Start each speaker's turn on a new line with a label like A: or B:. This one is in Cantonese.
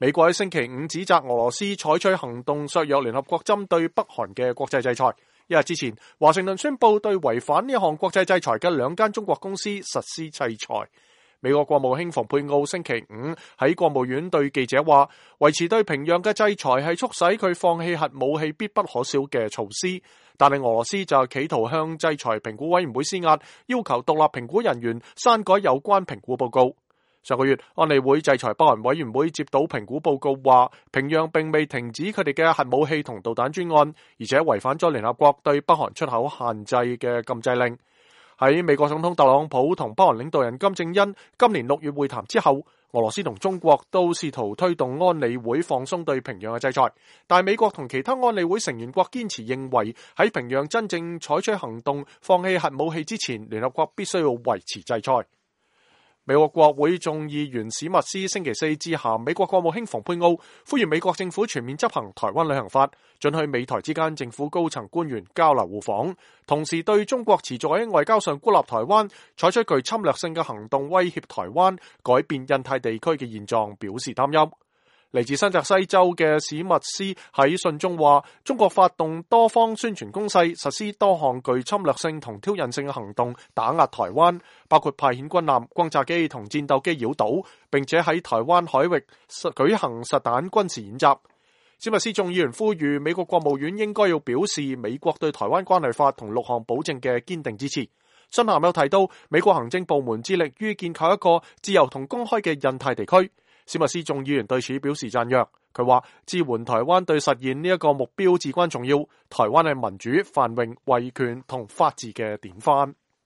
A: 美國喺星期五指責俄羅斯採取行動削弱聯合國針對北韓嘅國際制裁。一日之前，華盛頓宣布對違反呢項國際制裁嘅2間中國公司實施制裁。美國國務卿蓬佩奧星期五喺國務院對記者話，維持對平壤嘅制裁係促使佢放棄核武器必不可少嘅措施，但係俄羅斯就企圖向制裁評估委員會施壓，要求獨立評估人員刪改有關評估報告。上個月，安理會制裁北韓委員會接到評估報告話，平壤並未停止佢哋嘅核武器同導彈專案，而且違反咗聯合國對北韓出口限制嘅禁制令。喺美國總統特朗普同北韓領導人金正恩今年6月會談之後，俄羅斯同中國都試圖推動安理會放鬆對平壤嘅制裁，但美國同其他安理會成員國堅持認為喺平壤真正採取行動放棄核武器之前，聯合國必須要維持制裁。美國國會眾議員史密斯星期四致函美國國務卿蓬佩奧，呼籲美國政府全面執行台灣旅行法，准許美台之間政府高層官員交流互訪，同時對中國持續喺外交上孤立台灣，採取具侵略性嘅行動威脅台灣，改變印太地區嘅現狀表示擔憂。嚟自新澤西州嘅史密斯喺信中話，中國發動多方宣傳攻勢，實施多項具侵略性同挑釁性嘅行動，打壓台灣，包括派遣軍艦、轟炸機同戰鬥機擾島，並且喺台灣海域舉行實彈軍事演習。史密斯眾議員呼籲美國國務院應該要表示美國對台灣關係法同6項保證嘅堅定支持。信函又提到，美國行政部門致力於建構一個自由同公開嘅印太地區。史密斯眾議員對此表示讚揚，佢話支援台灣對實現呢一個目標至關重要，台灣係民主、繁榮、維權同法治嘅典範。